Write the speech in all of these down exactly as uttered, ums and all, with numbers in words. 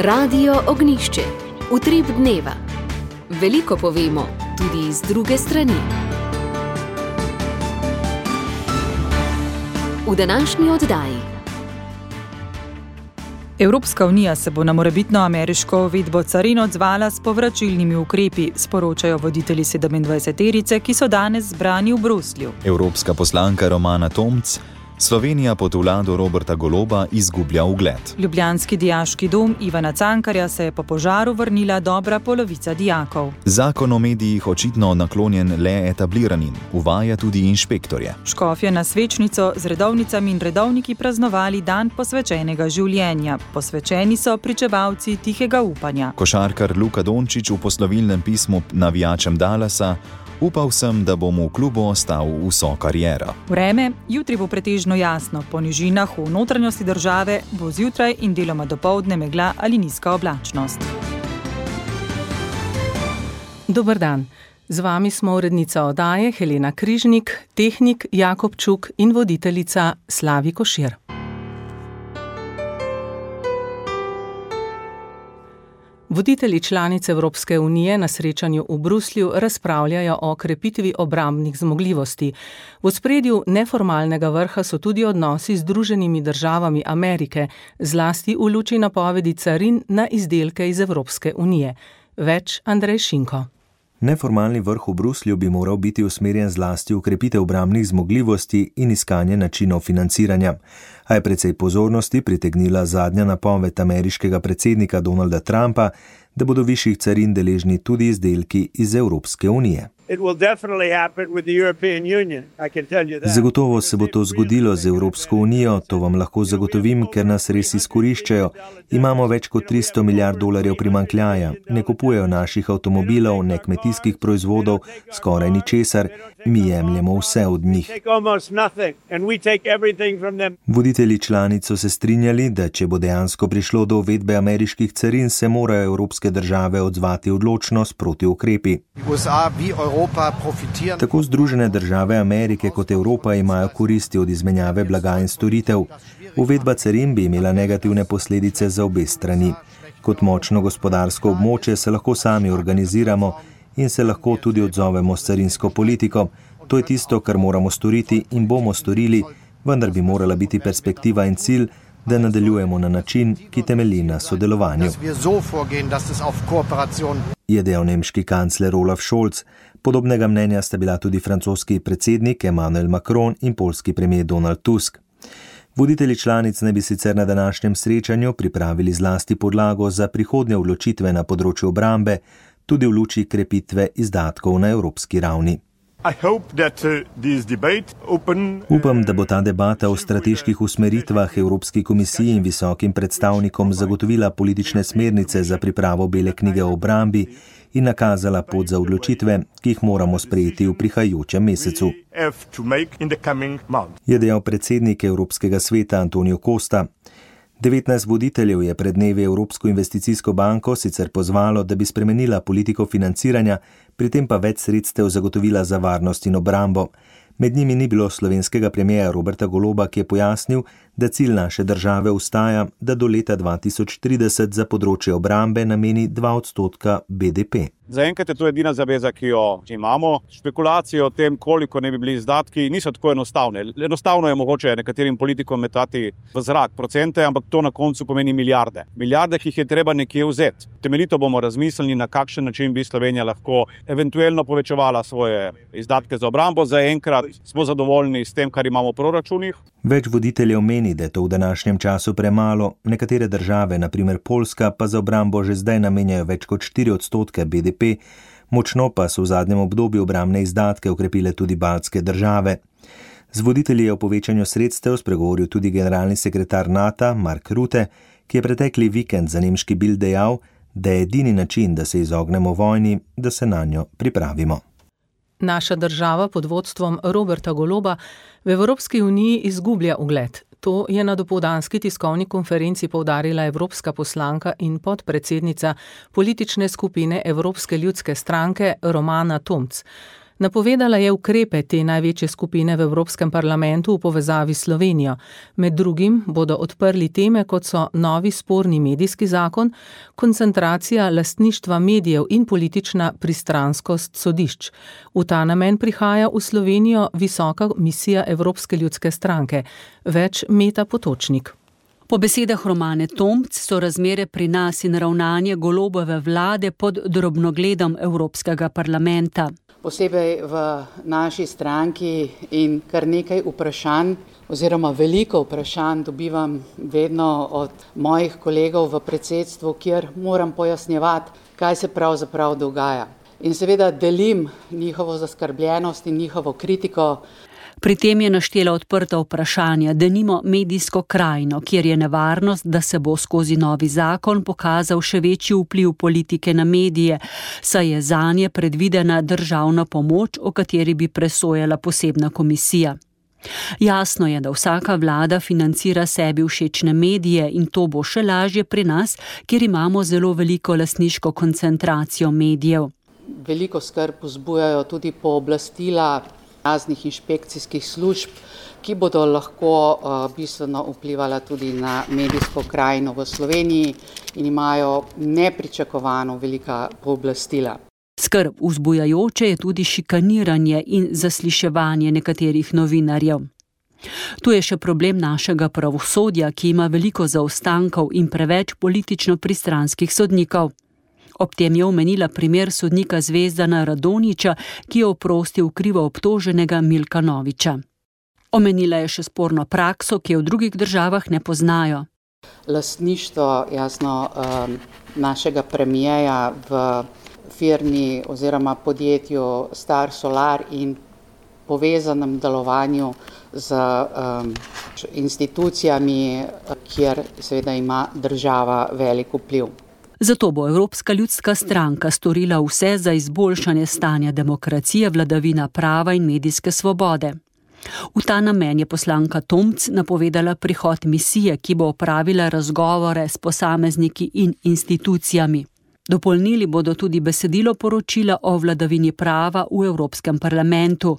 Radio Ognjišče. Utrip dneva. Veliko povemo, tudi iz druge strani. V današnji oddaji. Evropska unija se bo na morebitno ameriško uvedbo carin odzvala s povračilnimi ukrepi, sporočajo voditelji sedemindvajseterice, ki so danes zbrani v Bruslju. Evropska poslanka Romana Tomc: Slovenija pod vlado Roberta Goloba izgublja ugled. Ljubljanski dijaški dom Ivana Cankarja se je po požaru vrnila dobra polovica dijakov. Zakon o medijih očitno naklonjen le etabliranim, uvaja tudi inšpektorje. Škofje na Svečnico z redovnicami in redovniki praznovali dan posvečenega življenja. Posvečeni so pričevalci tihega upanja. Košarkar Luka Dončić v poslovilnem pismu navijačem Dallasa: Upal sem, da bom v klubu ostal vso kariero. Vreme, jutri bo pretežno jasno, po nižinah v notranjosti države bo zjutraj in deloma dopoldne megla ali nizka oblačnost. Dober dan. Z vami smo urednica oddaje Helena Križnik, tehnik Jakob Čuk in voditeljica Slavi Košir. Voditelji članic Evropske unije na srečanju v Bruslju razpravljajo o krepitvi obrambnih zmogljivosti. V ospredju neformalnega vrha so tudi odnosi z Združenimi državami Amerike, zlasti v luči napovedi carin na izdelke iz Evropske unije. Več Andrej Šinko. Neformalni vrh v Bruslju bi moral biti usmerjen zlasti v krepitev obrambnih zmogljivosti in iskanje načinov financiranja. A je precej pozornosti pritegnila zadnja napoved ameriškega predsednika Donalda Trumpa, da bodo višjih carin deležni tudi izdelki iz Evropske unije. Zagotovo se bo to zgodilo z Evropsko unijo, to vam lahko zagotovim, ker nas res izkoriščajo. Imamo več kot tristo milijard dolarjev primanjkljaja, ne kupujejo naših avtomobilov, ne kmetijskih proizvodov, skoraj ničesar, mi jemljemo vse od njih. Voditelji članic so se strinjali, da če bo dejansko prišlo do uvedbe ameriških carin, se morajo evropske države odzvati odločno s protiukrepi. Tako Združene države Amerike kot Evropa imajo koristi od izmenjave blaga in storitev. Uvedba carin bi imela negativne posledice za obe strani. Kot močno gospodarsko območje se lahko sami organiziramo in se lahko tudi odzovemo s carinsko politiko. To je tisto, kar moramo storiti in bomo storili, vendar bi morala biti perspektiva in cilj, da nadaljujemo na način, ki temelji na sodelovanju, je dejal nemški kancler Olaf Scholz. Podobnega mnenja sta bila tudi francoski predsednik Emmanuel Macron in poljski premier Donald Tusk. Voditelji članic naj bi sicer na današnjem srečanju pripravili zlasti podlago za prihodnje odločitve na področju obrambe, tudi v luči krepitve izdatkov na evropski ravni. Upam, da bo ta debata o strateških usmeritvah Evropski komisiji in visokim predstavnikom zagotovila politične smernice za pripravo bele knjige o obrambi in nakazala pot za odločitve, ki jih moramo sprejeti v prihajajočem mesecu, je dejal predsednik Evropskega sveta Antonio Costa. devetnajst voditeljev je pred dnevi Evropsko investicijsko banko sicer pozvalo, da bi spremenila politiko financiranja, pri tem pa več sredstev zagotovila za varnost in obrambo. Med njimi ni bilo slovenskega premierja Roberta Goloba, ki je pojasnil, da cilj naše države ostaja, da do leta dva tisoč trideset za področje obrambe nameni dva odstotka B D P. Zaenkrat je to edina zaveza, ki jo imamo. Špekulacije o tem, koliko ne bi bili izdatki, niso tako enostavne. Enostavno je mogoče nekaterim politikom metati v zrak procente, ampak to na koncu pomeni milijarde. Milijarde, ki jih je treba nekje vzeti. Temeljito bomo razmislili, na kakšen način bi Slovenija lahko eventualno povečevala svoje izdatke za obrambo. Zaenkrat smo zadovoljni s tem, kar imamo v proračunih. Več voditeljev meni, da je to v današnjem času premalo. Nekatere države, na primer Poljska, pa za obrambo že zdaj namenjajo več kot štiri odstotke B D P, močno pa so v zadnjem obdobju obrambne izdatke okrepile tudi baltske države. Z voditelji je o povečanju sredstev spregovoril tudi generalni sekretar NATO Mark Rutte, ki je pretekli vikend za nemški Bild dejal, da je edini način, da se izognemo vojni, da se nanjo pripravimo. Naša država pod vodstvom Roberta Goloba v Evropski uniji izgublja ugled. To je na dopoldanski tiskovni konferenci poudarila evropska poslanka in podpredsednica politične skupine Evropske ljudske stranke Romana Tomc. Napovedala je ukrepe te največje skupine v Evropskem parlamentu v povezavi s Slovenijo. Med drugim bodo odprli teme, kot so novi sporni medijski zakon, koncentracija lastništva medijev in politična pristranskost sodišč. V ta namen prihaja v Slovenijo visoka misija Evropske ljudske stranke. Več Meta Potočnik. Po besedah Romane Tomc so razmere pri nas in ravnanje Golobove vlade pod drobnogledom Evropskega parlamenta. Posebej v naši stranki in kar nekaj vprašanj oziroma veliko vprašanj dobivam vedno od mojih kolegov v predsedstvu, kjer moram pojasnjevati, kaj se pravzaprav dogaja. In seveda delim njihovo zaskrbljenost in njihovo kritiko. Pri tem je naštela odprta vprašanja, denimo medijsko krajino, kjer je nevarnost, da se bo skozi novi zakon pokazal še večji vpliv politike na medije, saj je zanje predvidena državna pomoč, o kateri bi presojala posebna komisija. Jasno je, da vsaka vlada financira sebi všečne medije in to bo še lažje pri nas, kjer imamo zelo veliko lastniško koncentracijo medijev. Veliko skrb vzbujajo tudi pooblastila raznih inšpekcijskih služb, ki bodo lahko uh, bistveno vplivala tudi na medijsko krajino v Sloveniji in imajo nepričakovano velika pooblastila. Skrb vzbujajoče je tudi šikaniranje in zasliševanje nekaterih novinarjev. Tu je še problem našega pravosodja, ki ima veliko zaostankov in preveč politično pristranskih sodnikov. Ob tem je omenila primer sodnika Zvezdana Radonjića, ki je oprostil krivo obtoženega Milka Noviča. Omenila je še sporno prakso, ki je v drugih državah ne poznajo. Lastništvo jasno našega premijeja v firmi oziroma podjetju Star Solar in povezanem delovanju z um, institucijami, kjer seveda ima država velik vpliv. Zato bo Evropska ljudska stranka storila vse za izboljšanje stanja demokracije, vladavina prava in medijske svobode. V ta namen je poslanka Tomc napovedala prihod misije, ki bo opravila razgovore s posamezniki in institucijami. Dopolnili bodo tudi besedilo poročila o vladavini prava v Evropskem parlamentu.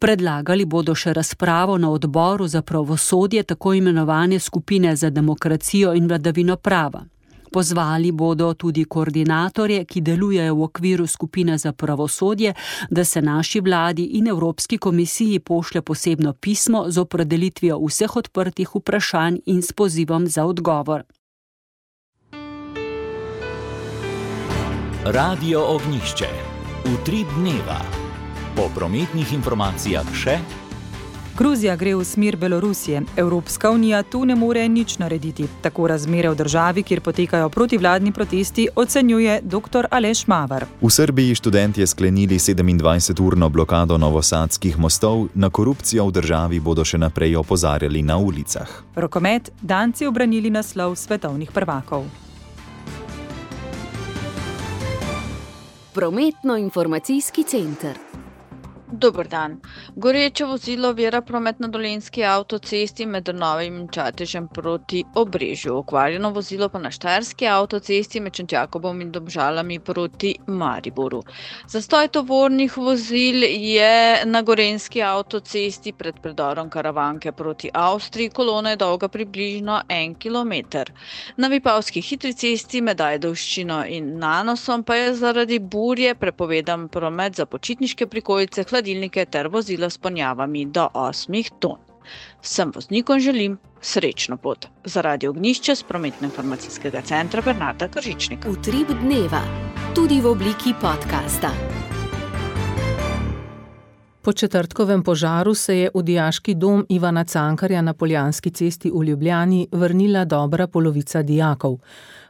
Predlagali bodo še razpravo na odboru za pravosodje tako imenovane skupine za demokracijo in vladavino prava. Pozvali bodo tudi koordinatorje, ki delujejo v okviru skupine za pravosodje, da se naši vladi in Evropski komisiji pošlje posebno pismo z opredelitvijo vseh odprtih vprašanj in s pozivom za odgovor. Radio Ognjišče. Utrip dneva. Po prometnih informacijah še. Gruzija gre v smer Belorusije. Evropska unija tu ne more nič narediti. Tako razmere v državi, kjer potekajo protivladni protesti, ocenjuje doktor Aleš Mavar. V Srbiji študentje sklenili sedemindvajseturno blokado novosadskih mostov, na korupcijo v državi bodo še naprej opozarjali na ulicah. Rokomet, Danci obranili naslov svetovnih prvakov. Prometno-informacijski center. Dober dan. Goreče vozilo ovira promet na Dolenjski avtocesti med Drnovim in Čatežem proti Obrežju. Okvarjeno vozilo pa na Štajerski avtocesti med Šentjakobom in Domžalami proti Mariboru. Zastoj tovornih vozil je na Gorenjski avtocesti pred predorom Karavanke proti Avstriji. Kolona je dolga približno en kilometer. Na Vipavski hitri cesti med Ajdovščino in Nanosom pa je zaradi burje prepovedan promet za počitniške prikolice, hladilnike ter vozila s ponjavami do osmih ton. Vsem voznikom želim srečno pot. Za Radio Ognjišče s prometno-informacijskega centra Bernarda Kržičnika. Utrip dneva, tudi v obliki podcasta. Po četrtkovem požaru se je v dijaški dom Ivana Cankarja na Poljanski cesti v Ljubljani vrnila dobra polovica dijakov.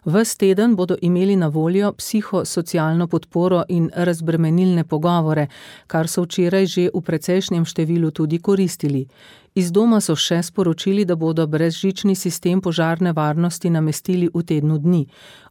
Ves teden bodo imeli na voljo psihosocialno podporo in razbremenilne pogovore, kar so včeraj že v precejšnjem številu tudi koristili. Iz doma so še sporočili, da bodo brezžični sistem požarne varnosti namestili v tednu dni.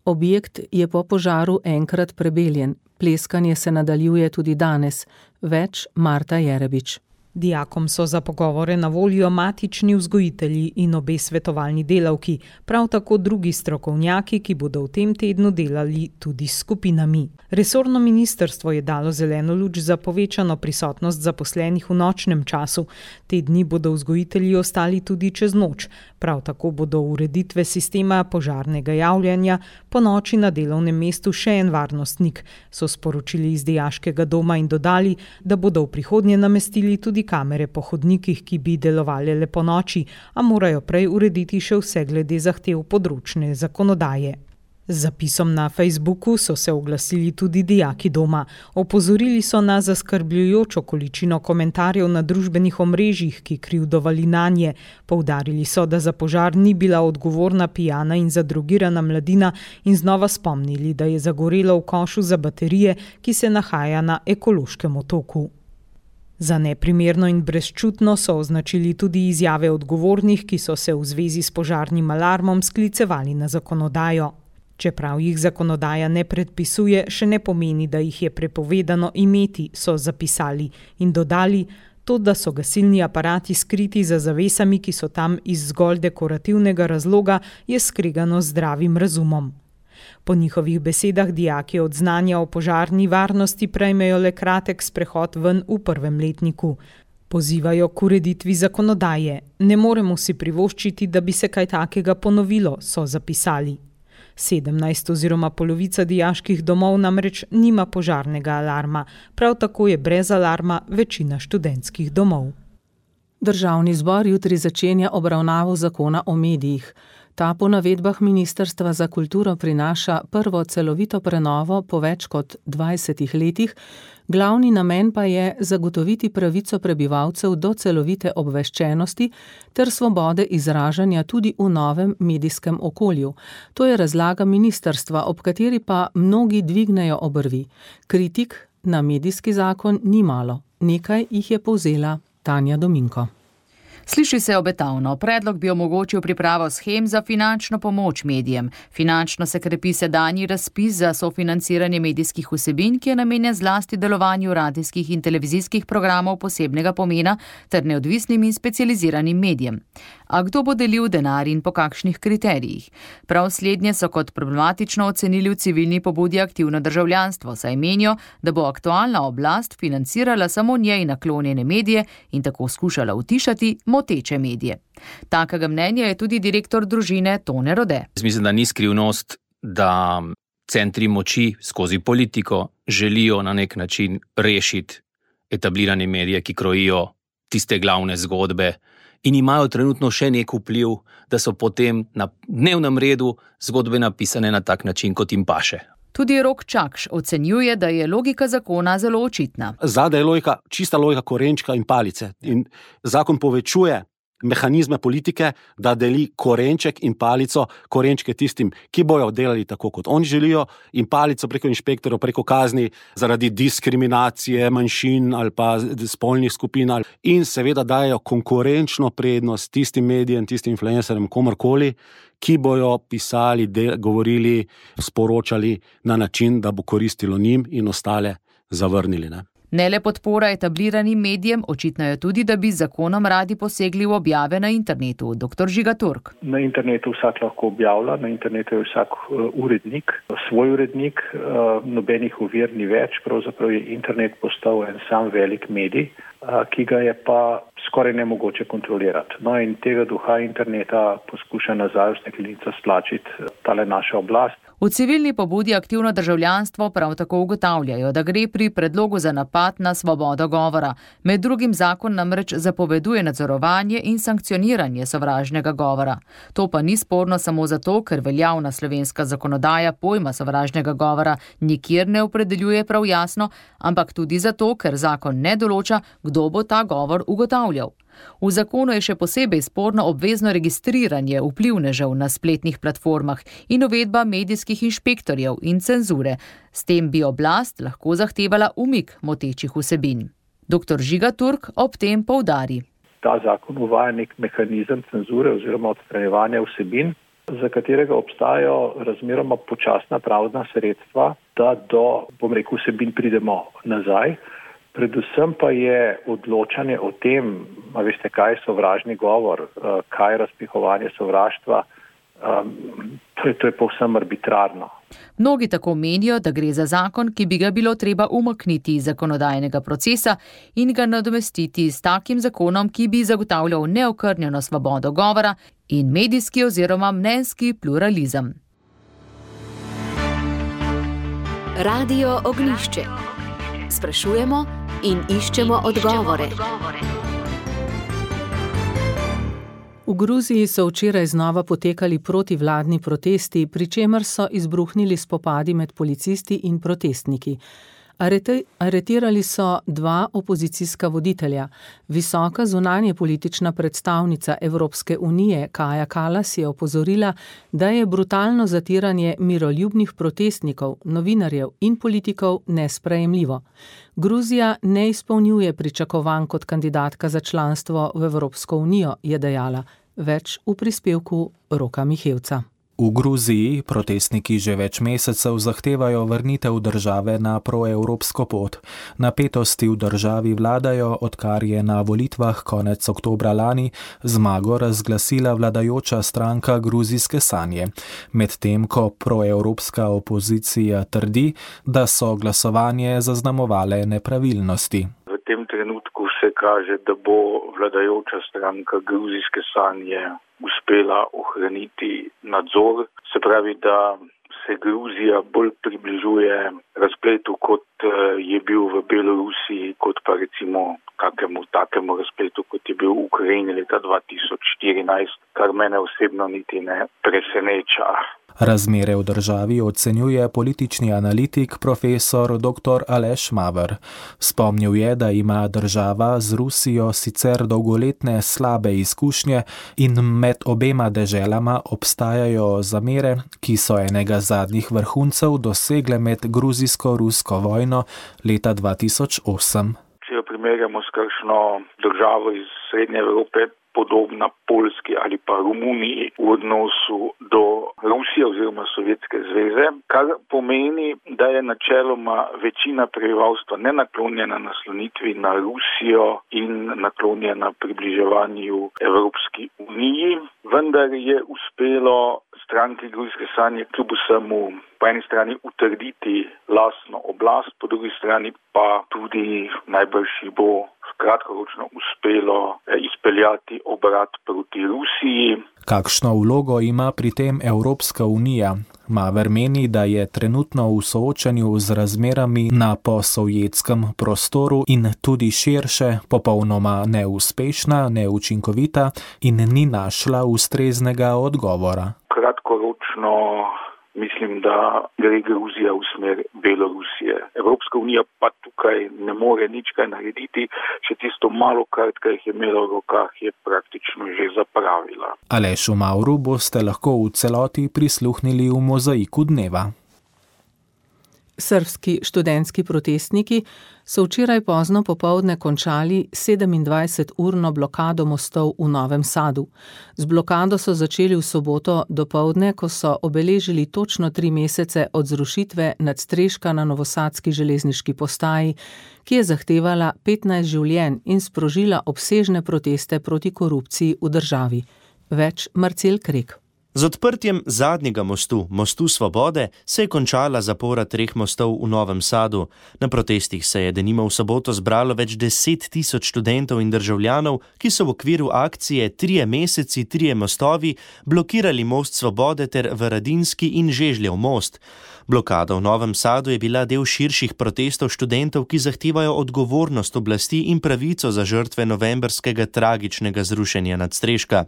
Objekt je po požaru enkrat prebeljen. Pleskanje se nadaljuje tudi danes. Več Marta Jerebič. Dijakom so za pogovore na voljo matični vzgojitelji in obe svetovalni delavki, prav tako drugi strokovnjaki, ki bodo v tem tednu delali tudi s skupinami. Resorno ministrstvo je dalo zeleno luč za povečano prisotnost zaposlenih v nočnem času. Te dni bodo vzgojitelji ostali tudi čez noč. Prav tako bodo ureditve sistema požarnega javljanja po noči na delovnem mestu še en varnostnik, so sporočili iz dijaškega doma in dodali, da bodo v prihodnje namestili tudi kamere po hodnikih, ki bi delovale le po noči, a morajo prej urediti še vse glede zahtev področne zakonodaje. Z zapisom na Facebooku so se oglasili tudi dijaki doma. Opozorili so na zaskrbljujočo količino komentarjev na družbenih omrežjih, ki krivdovali nanje. Poudarili so, da za požar ni bila odgovorna pijana in zadrogirana mladina in znova spomnili, da je zagorelo v košu za baterije, ki se nahaja na ekološkem otoku. Za neprimerno in brezčutno so označili tudi izjave odgovornih, ki so se v zvezi s požarnim alarmom sklicevali na zakonodajo. Čeprav jih zakonodaja ne predpisuje, še ne pomeni, da jih je prepovedano imeti, so zapisali in dodali, to, da so gasilni aparati skriti za zavesami, ki so tam iz zgolj dekorativnega razloga, je skregano z zdravim razumom. Po njihovih besedah dijaki od znanja o požarni varnosti prejmejo le kratek sprehod ven v prvem letniku. Pozivajo k ureditvi zakonodaje. Ne moremo si privoščiti, da bi se kaj takega ponovilo, so zapisali. sedemnajst oziroma polovica dijaških domov namreč nima požarnega alarma, prav tako je brez alarma večina študentskih domov. Državni zbor jutri začenja obravnavo zakona o medijih. Ta po navedbah Ministrstva za kulturo prinaša prvo celovito prenovo po več kot dvajsetih letih, glavni namen pa je zagotoviti pravico prebivalcev do celovite obveščenosti ter svobode izražanja tudi v novem medijskem okolju. To je razlaga ministrstva, ob kateri pa mnogi dvignejo obrvi. Kritik na medijski zakon ni malo. Nekaj jih je povzela Tanja Dominko. Sliši se obetavno. Predlog bi omogočil pripravo shem za finančno pomoč medijem. Finančno se krepi sedanji razpis za sofinanciranje medijskih vsebin, ki je namenjen zlasti delovanju radijskih in televizijskih programov posebnega pomena ter neodvisnim in specializiranim medijem. A kdo bo delil denar in po kakšnih kriterijih? Prav slednje so kot problematično ocenili v civilni pobudi Aktivno državljanstvo, saj menijo, da bo aktualna oblast financirala samo njej naklonjene medije in tako skušala utišati moteče medije. Takega mnenja je tudi direktor družine Tone Rode. Mislim, da ni skrivnost, da centri moči skozi politiko želijo na nek način rešiti etablirane medije, ki krojijo tiste glavne zgodbe in imajo trenutno še nek vpliv, da so potem na dnevnem redu zgodbe napisane na tak način, kot jim paše. Tudi Rok Čakš ocenjuje, da je logika zakona zelo očitna. Zadaj je logika, čista logika korenčka in palice. In zakon povečuje mehanizme politike, da deli korenček in palico, korenčke tistim, ki bojo delali tako, kot oni želijo, in palico preko inšpektorjev, preko kazni zaradi diskriminacije manjšin ali pa spolnih skupin. In seveda dajo konkurenčno prednost tistim medijem, tistim influencerjem, komorkoli, ki bojo pisali, del, govorili, sporočali na način, da bo koristilo njim in ostale zavrnili, ne. Ne le podpora etabliranim medijem, očitno je tudi, da bi z zakonom radi posegli v objave na internetu. doktor Žiga Turk. Na internetu vsak lahko objavlja, na internetu je vsak urednik, svoj urednik, nobenih ovir ni več, pravzaprav je internet postal en sam velik medij, ki ga je pa skoraj nemogoče kontrolirati. No in tega duha interneta poskuša nazaj v steklenico stlačiti tale naša oblast. V civilni pobudi Aktivno državljanstvo prav tako ugotavljajo, da gre pri predlogu za napad na svobodo govora. Med drugim zakon namreč zapoveduje nadzorovanje in sankcioniranje sovražnega govora. To pa ni sporno samo zato, ker veljavna slovenska zakonodaja pojma sovražnega govora nikjer ne opredeljuje prav jasno, ampak tudi zato, ker zakon ne določa, kdo bo ta govor ugotavljal. V zakonu je še posebej sporno obvezno registriranje vplivnežev na spletnih platformah in uvedba medijskih inšpektorjev in cenzure. S tem bi oblast lahko zahtevala umik motečih vsebin. doktor Žiga Turk ob tem poudari. Ta zakon uvaja nek mehanizem cenzure oziroma odstranjevanja vsebin, za katerega obstajajo razmeroma počasna pravna sredstva, da do, bom rekel, vsebin pridemo nazaj. Predvsem pa je odločanje o tem, a veste, kaj je sovražni govor, kaj je razpihovanje sovraštva, to je, to je povsem arbitrarno. Mnogi tako menijo, da gre za zakon, ki bi ga bilo treba umakniti iz zakonodajnega procesa in ga nadomestiti s takim zakonom, ki bi zagotavljal neokrnjeno svobodo govora in medijski oziroma mnenjski pluralizem. Radio Ognjišče. Sprašujemo in iščemo odgovore. V Gruziji so včeraj znova potekali protivladni protesti, pri čemer so izbruhnili spopadi med policisti in protestniki. Arete, aretirali so dva opozicijska voditelja. Visoka zunanje politična predstavnica Evropske unije Kaja Kallas je opozorila, da je brutalno zatiranje miroljubnih protestnikov, novinarjev in politikov nesprejemljivo. Gruzija ne izpolnjuje pričakovanj kot kandidatka za članstvo v Evropsko unijo, je dejala. Več v prispevku Roka Mihevca. V Gruziji protestniki že več mesecev zahtevajo vrnitev države na proevropsko pot. Napetosti v državi vladajo, odkar je na volitvah konec oktobra lani zmago razglasila vladajoča stranka Gruzijske sanje. Medtem ko proevropska opozicija trdi, da so glasovanje zaznamovale nepravilnosti. V tem trenutku se kaže, da bo vladajoča stranka Gruzijske sanje uspela ohraniti nadzor, se pravi, da se Gruzija bolj približuje razpletu, kot je bil v Belorusiji, kot pa recimo kakemu takemu razpletu, kot je bil v Ukrajini leta dva tisoč štirinajst, kar mene osebno niti ne preseneča. Razmere v državi ocenjuje politični analitik profesor doktor Aleš Maver. Spomnil je, da ima država z Rusijo sicer dolgoletne slabe izkušnje in med obema deželama obstajajo zamere, ki so enega zadnjih vrhuncev dosegle med gruzijsko-rusko vojno leta dva tisoč osem. Če jo primerjamo s kakšno državo iz Srednje Evrope, podobna Poljski ali pa Romuniji v odnosu do Rusije oziroma Sovjetske zveze, kar pomeni, da je načeloma večina prebivalstva nenaklonjena naslonitvi na Rusijo in naklonjena približevanju Evropski uniji, vendar je uspelo stranki Gruzijske sanje kljub vsemu po eni strani utrditi lastno oblast, po drugi strani pa tudi najbrž bo kratkoročno uspelo izpeljati obrat proti Rusiji. Kakšno vlogo ima pri tem Evropska unija? Maver meni, da je trenutno v soočanju z razmerami na posovjetskem prostoru in tudi širše popolnoma neuspešna, neučinkovita in ni našla ustreznega odgovora. Kratkoročno mislim, da gre Gruzija v smer Belorusije. Evropska unija pa tukaj ne more nič kaj narediti, še tisto malo kart, kar jih je imela v rokah, je praktično že zapravila. Alešu Mavru boste lahko v celoti prisluhnili v Mozaiku dneva. Srbski študentski protestniki so včeraj pozno popoldne končali sedemindvajseturno blokado mostov v Novem Sadu. Z blokado so začeli v soboto dopoldne, ko so obeležili točno tri mesece od zrušitve nadstreška na novosadski železniški postaji, ki je zahtevala petnajst življenj in sprožila obsežne proteste proti korupciji v državi. Več Marcel Krek. Z odprtjem zadnjega mostu, mostu Svobode, se je končala zapora treh mostov v Novem Sadu. Na protestih se je denimo v soboto zbralo več deset tisoč študentov in državljanov, ki so v okviru akcije Trije meseci, trije mostovi blokirali most Svobode ter Varadinski in Žežljev most. Blokada v Novem Sadu je bila del širših protestov študentov, ki zahtevajo odgovornost oblasti in pravico za žrtve novembrskega tragičnega zrušenja nadstreška.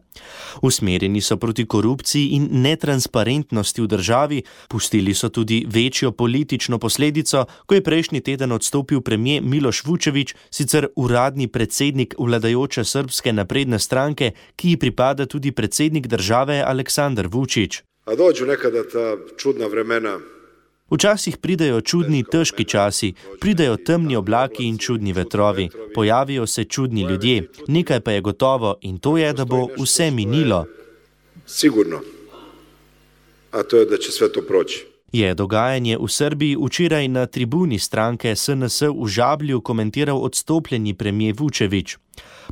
Usmerjeni so proti korupciji in netransparentnosti v državi, pustili so tudi večjo politično posledico, ko je prejšnji teden odstopil premier Miloš Vučević, sicer uradni predsednik vladajoče Srbske napredne stranke, ki ji pripada tudi predsednik države Aleksandar Vučić. A dođu nekada ta čudna vremena. Včasih pridejo čudni, težki časi, pridejo temni oblaki in čudni vetrovi, pojavijo se čudni ljudje, nekaj pa je gotovo in to je, da bo vse minilo. Sigurno. A to je, da će sve to proći. Je dogajanje v Srbiji včeraj na tribuni stranke S N S v Žablju komentiral odstopljeni premijer Vučević.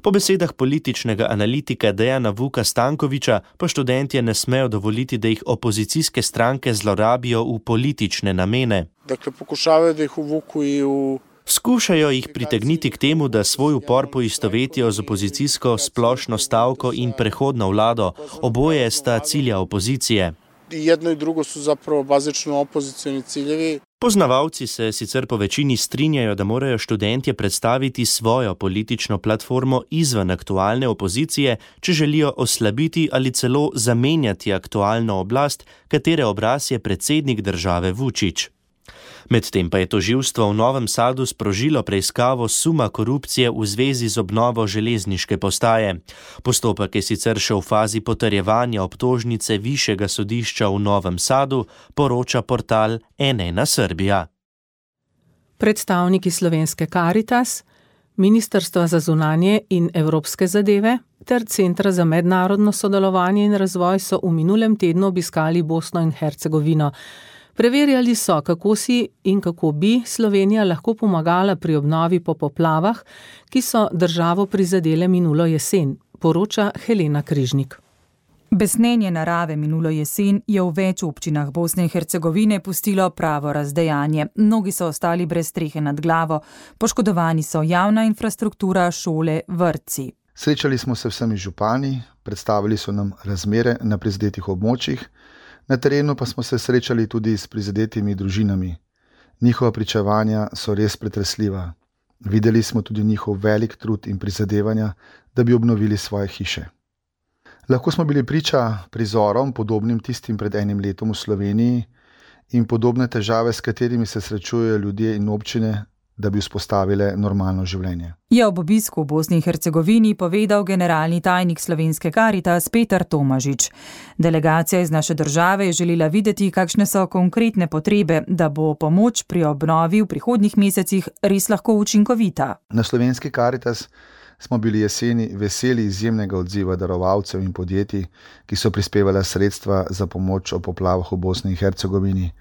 Po besedah političnega analitika Dejana Vuka Stankovića pa študentje ne smejo dovoliti, da jih opozicijske stranke zlorabijo v politične namene. Dakle, pokušavajo, da jih uvuku i u... Skušajo jih pritegniti k temu, da svoj upor poistovetijo z opozicijsko splošno stavko in prehodno vlado. Oboje sta cilja opozicije. Jedno i drugo su zapravo bazično opozicijni ciljevi. Poznavalci se sicer po večini strinjajo, da morajo študentje predstaviti svojo politično platformo izven aktualne opozicije, če želijo oslabiti ali celo zamenjati aktualno oblast, katere obraz je predsednik države Vučić. Medtem pa je tožilstvo v Novem Sadu sprožilo preiskavo suma korupcije v zvezi z obnovo železniške postaje. Postopek je sicer še v fazi potrjevanja obtožnice Višjega sodišča v Novem Sadu, poroča portal N ena Srbija. Predstavniki slovenske Karitas, Ministrstva za zunanje in evropske zadeve ter Centra za mednarodno sodelovanje in razvoj so v minulem tednu obiskali Bosno in Hercegovino. Preverjali so, kako si in kako bi Slovenija lahko pomagala pri obnovi po poplavah, ki so državo prizadele minulo jesen, poroča Helena Križnik. Besnenje narave minulo jesen je v več občinah Bosne in Hercegovine pustilo pravo razdejanje. Mnogi so ostali brez strehe nad glavo, poškodovani so javna infrastruktura, šole, vrtci. Srečali smo se vsemi župani, predstavili so nam razmere na prizadetih območjih, na terenu pa smo se srečali tudi s prizadetimi družinami. Njihova pričevanja so res pretresljiva. Videli smo tudi njihov velik trud in prizadevanja, da bi obnovili svoje hiše. Lahko smo bili priča prizorom, podobnim tistim pred enim letom v Sloveniji in podobne težave, s katerimi se srečujejo ljudje in občine, da bi vzpostavile normalno življenje. Je ob obisku v Bosni in Hercegovini povedal generalni tajnik slovenske Karitas Petar Tomažič. Delegacija iz naše države je želela videti, kakšne so konkretne potrebe, da bo pomoč pri obnovi v prihodnjih mesecih res lahko učinkovita. Na slovenski Karitas smo bili jeseni veseli izjemnega odziva darovalcev in podjetij, ki so prispevala sredstva za pomoč ob poplavah v Bosni in Hercegovini.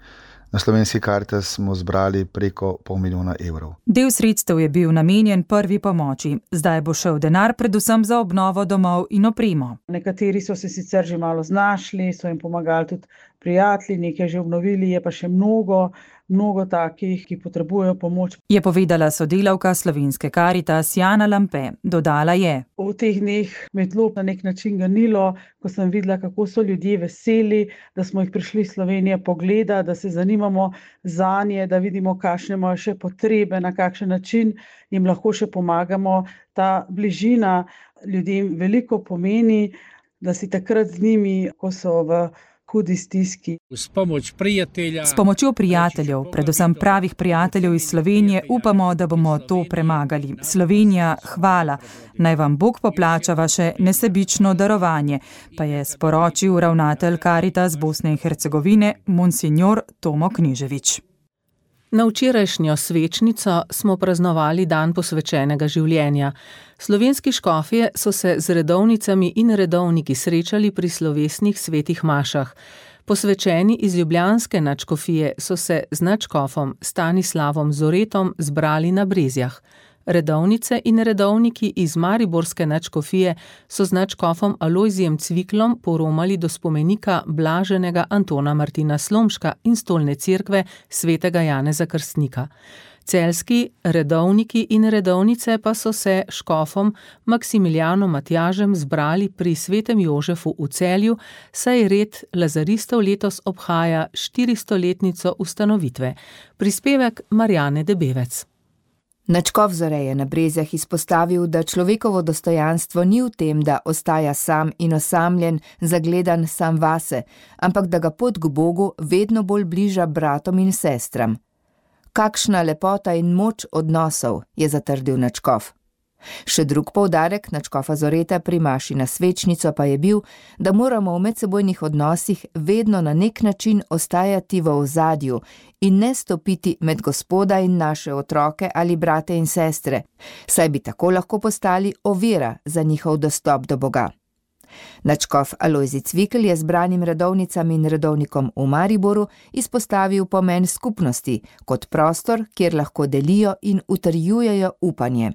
Na slovenski Karitas smo zbrali preko pol milijona evrov. Del sredstev je bil namenjen prvi pomoči. Zdaj bo šel denar predvsem za obnovo domov in opremo. Nekateri so se sicer že malo znašli, so jim pomagali tudi prijatelji, nekaj že obnovili, je pa še mnogo, mnogo takih, ki potrebujejo pomoč. Je povedala sodelavka slovenske Karitas Jana Lampe. Dodala je: V teh dneh me je tlo na nek način ganilo, ko sem videla, kako so ljudje veseli, da smo jih prišli iz Slovenije pogleda, da se zanimamo zanje, da vidimo, kakšne imajo še potrebe, na kakšen način jim lahko še pomagamo. Ta bližina ljudem veliko pomeni, da si takrat z njimi, ko so v hudi stiski. S pomočjo prijateljev, predvsem pravih prijateljev iz Slovenije, upamo, da bomo to premagali. Slovenija, hvala. Naj vam Bog poplača vaše nesebično darovanje, pa je sporočil ravnatelj Karitas Bosne in Hercegovine, monsignor Tomo Knižević. Na včerajšnjo svečnico smo praznovali dan posvečenega življenja. Slovenski škofje so se z redovnicami in redovniki srečali pri slovesnih svetih mašah. Posvečeni iz ljubljanske nadškofije so se z nadškofom Stanislavom Zoretom zbrali na Brezjah. Redovnice in redovniki iz mariborske nadškofije so z nadškofom Alojzijem Cviklom poromali do spomenika blaženega Antona Martina Slomška in stolne cerkve svetega Janeza Krstnika. Celjski redovniki in redovnice pa so se škofom Maksimilijanom Matjažem zbrali pri svetem Jožefu v Celju, saj red lazaristov letos obhaja štiristoletnico ustanovitve. Prispevek Marjane Debevec. Nadškof Zore je na Brezjah izpostavil, da človekovo dostojanstvo ni v tem, da ostaja sam in osamljen, zagledan sam vase, ampak da ga pot k Bogu vedno bolj bliža bratom in sestram. Kakšna lepota in moč odnosov, je zatrdil nadškof. Še drug poudarek nadškofa Zoreta pri maši na svečnico pa je bil, da moramo v medsebojnih odnosih vedno na nek način ostajati v ozadju in ne stopiti med Gospoda in naše otroke ali brate in sestre, saj bi tako lahko postali ovira za njihov dostop do Boga. Nadškof Alojzij Cvikl je zbranim redovnicam in redovnikom v Mariboru izpostavil pomen skupnosti kot prostor, kjer lahko delijo in utrjujejo upanje.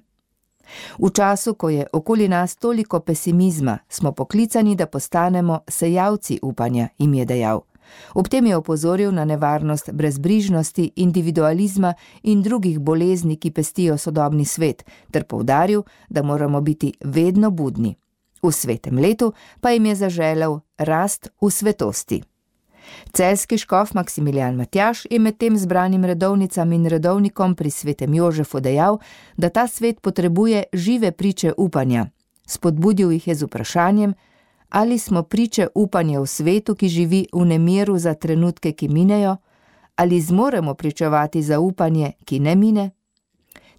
V času, ko je okoli nas toliko pesimizma, smo poklicani, da postanemo sejalci upanja, jim je dejal. Ob tem je opozoril na nevarnost brezbrižnosti, individualizma in drugih bolezni, ki pestijo sodobni svet, ter poudaril, da moramo biti vedno budni. V svetem letu pa jim je zaželel rast v svetosti. Celjski škof Maksimilijan Matjaž je med tem zbranim redovnicam in redovnikom pri svetem Jožefu dejal, da ta svet potrebuje žive priče upanja. Spodbudil jih je z vprašanjem, ali smo priče upanja v svetu, ki živi v nemiru za trenutke, ki minejo, ali zmoremo pričevati za upanje, ki ne mine?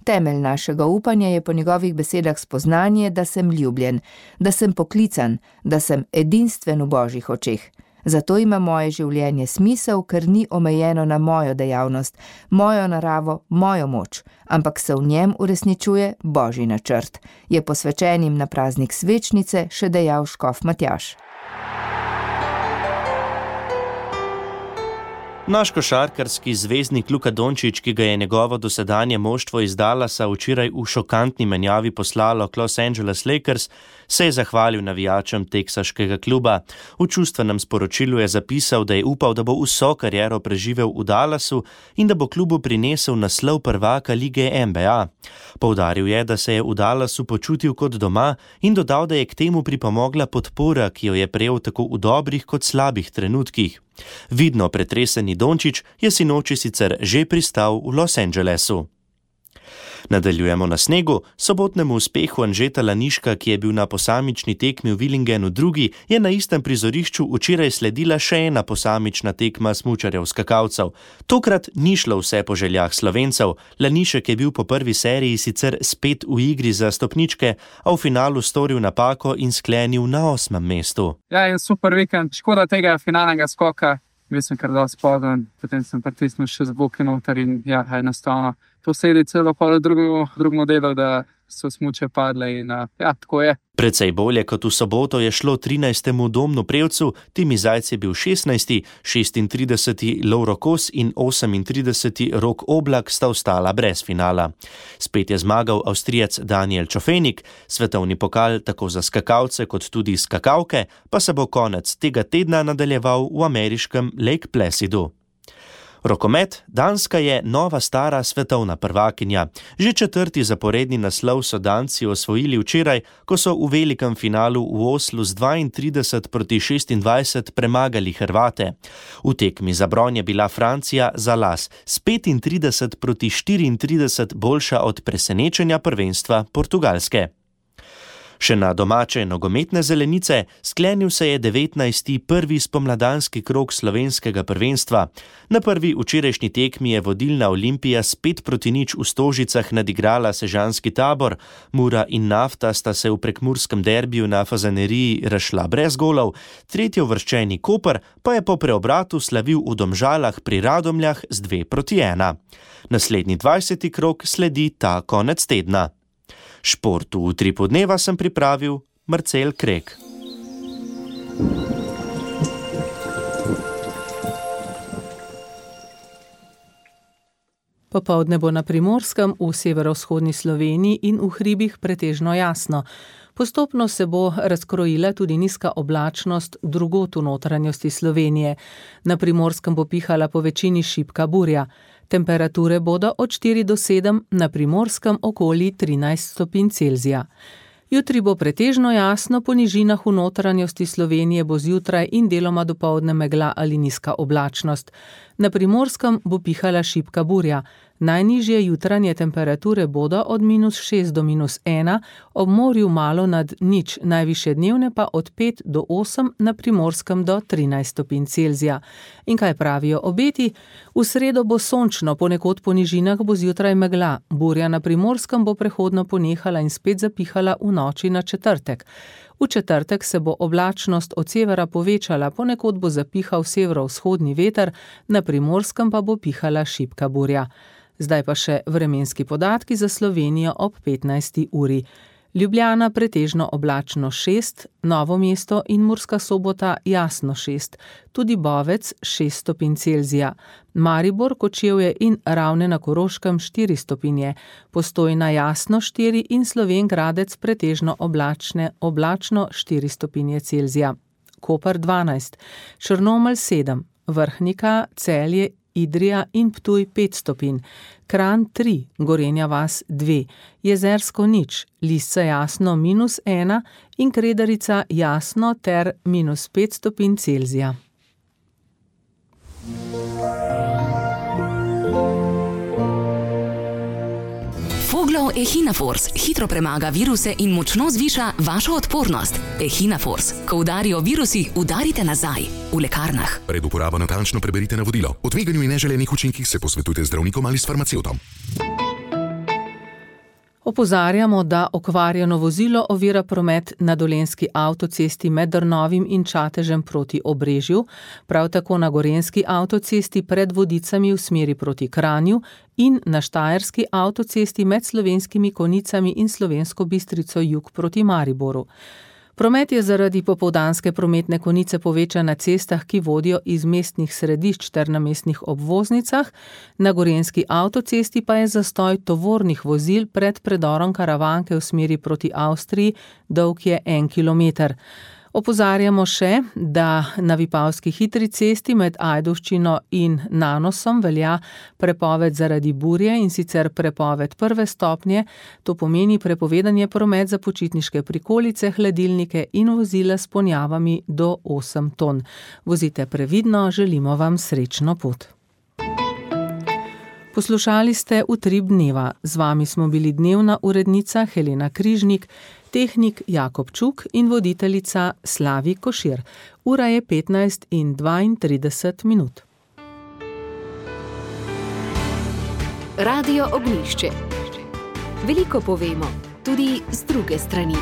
Temelj našega upanja je po njegovih besedah spoznanje, da sem ljubljen, da sem poklican, da sem edinstven v Božjih očeh. Zato ima moje življenje smisel, ker ni omejeno na mojo dejavnost, mojo naravo, mojo moč, ampak se v njem uresničuje Božji načrt, je posvečenim na praznik svečnice še dejal škof Matjaž. Naš košarkarski zvezdnik Luka Dončić, ki ga je njegovo dosedanje moštvo iz Dallasa včeraj v šokantni menjavi poslalo k Los Angeles Lakers, se je zahvalil navijačem teksaškega kluba. V čustvenem sporočilu je zapisal, da je upal, da bo vso kariero preživel v Dallasu in da bo klubu prinesel naslov prvaka lige N B A. Poudaril je, da se je v Dallasu počutil kot doma in dodal, da je k temu pripomogla podpora, ki jo je prejel tako v dobrih kot slabih trenutkih. Vidno pretreseni Dončić je sinoči sicer že pristal v Los Angelesu. Nadaljujemo na snegu. Sobotnemu uspehu Anžeta Laniška, ki je bil na posamični tekmi v Willingenu drugi, je na istem prizorišču včeraj sledila še ena posamična tekma smučarjev skakalcev. Tokrat ni šlo vse po željah Slovencev. Lanišek je bil po prvi seriji sicer spet v igri za stopničke, a v finalu storil napako in sklenil na osmem mestu. Ja, je super vikend. Škoda tega finalnega skoka. Bil sem kar dosti pozen, potem sem pritisnil še z boki noter in ja, enostavno. To sedi celo polo drugo, drugo modelo, da so smuče padle in ja, tako je. Precej bolje kot v soboto je šlo trinajstemu Domnu Prevcu, Timi Zajc je bil šestnajsti, šestintrideseti Lovro Kos in osemintrideseti Rok Oblak sta ostala brez finala. Spet je zmagal Avstrijec Daniel Čofenik, svetovni pokal tako za skakalce kot tudi skakalke pa se bo konec tega tedna nadaljeval v ameriškem Lake Placidu. Rokomet, Danska je nova stara svetovna prvakinja. Že četrti zaporedni naslov so Danci osvojili včeraj, ko so v velikem finalu v Oslu z dvaintrideset proti šestindvajset premagali Hrvate. V tekmi za bron je bila Francija za las s petintrideset proti štiriintrideset boljša od presenečenja prvenstva Portugalske. Še na domače nogometne zelenice sklenil se je devetnajsti prvi spomladanski krog slovenskega prvenstva. Na prvi včerajšnji tekmi je vodilna Olimpija s pet proti nič v Stožicah nadigrala sežanski Tabor. Mura in Nafta sta se v prekmurskem derbiju na Fazaneriji razšla brez golov, tretjeuvrščeni Koper pa je po preobratu slavil v Domžalah pri Radomljah z dve proti ena. Naslednji dvajseti krog sledi ta konec tedna. Športu v Utripu dneva sem pripravil Marcel Krek. Popoldne bo na Primorskem, v severovzhodni Sloveniji in v hribih pretežno jasno. Postopno se bo razkrojila tudi nizka oblačnost drugod v notranjosti Slovenije. Na Primorskem bo pihala po večini šibka burja. Temperature bodo od štiri do sedem, na Primorskem okoli trinajst stopinj Celzija. Jutri bo pretežno jasno, po nižinah v notranjosti Slovenije bo zjutraj in deloma dopoldne megla ali nizka oblačnost. Na Primorskem bo pihala šibka burja. Najnižje jutranje temperature bodo od minus šest do minus ena, ob morju malo nad nič, najvišje dnevne pa od pet do osem, na Primorskem do trinajst stopinj Celzija. In kaj pravijo obeti? V sredo bo sončno, ponekod po nižinah bo zjutraj megla. Burja na Primorskem bo prehodno ponehala in spet zapihala v noči na četrtek. V četrtek se bo oblačnost od severa povečala, ponekod bo zapihal severovzhodni veter, na Primorskem pa bo pihala šibka burja. Zdaj pa še vremenski podatki za Slovenijo ob petnajsti uri. Ljubljana pretežno oblačno šest, Novo mesto in Murska Sobota jasno šest, tudi Bovec šest stopinj Celzija, Maribor, Kočevje in Ravne na Koroškem štiri stopinje, Postojna jasno štiri in Slovenj Gradec pretežno oblačne, oblačno štiri stopinje Celzija, Koper dvanajst, Črnomelj sedem, Vrhnika, Celje, Idrija in Ptuj pet stopinj, Kranj tri, Gorenja vas dve, Jezersko nič, Lisca jasno minus ena in Kredarica jasno ter minus pet stopinj Celzija. Foglov Echinafors hitro premaga viruse in močno zviša vašo odpornost. Echinafors. Ko udarijo virusi, udarite nazaj. V lekarnah. Pred uporabo natančno preberite navodilo. O tveganju in neželenih učinkih se posvetujte z zdravnikom ali s farmacevtom. Opozarjamo, da okvarjeno vozilo ovira promet na dolenjski avtocesti med Drnovim in Čatežem proti Obrežju, prav tako na gorenjski avtocesti pred Vodicami v smeri proti Kranju in na štajerski avtocesti med Slovenskimi Konjicami in Slovensko Bistrico jug proti Mariboru. Promet je zaradi popoldanske prometne konice povečan na cestah, ki vodijo iz mestnih središč ter na mestnih obvoznicah, na gorenjski avtocesti pa je zastoj tovornih vozil pred predorom Karavanke v smeri proti Avstriji, dolg je en kilometer. Opozarjamo še, da na Vipavski hitri cesti med Ajdovščino in Nanosom velja prepoved zaradi burje in sicer prepoved prve stopnje, to pomeni prepovedanje promet za počitniške prikolice, hladilnike in vozila s ponjavami do osem ton. Vozite previdno, želimo vam srečno pot. Poslušali ste Utrip dneva. Z vami smo bili dnevna urednica Helena Križnik, tehnik Jakob Čuk in voditeljica Slavi Košir. Ura je petnajst in dvaintrideset minut. Radio Ognjišče. Veliko povemo, tudi z druge strani.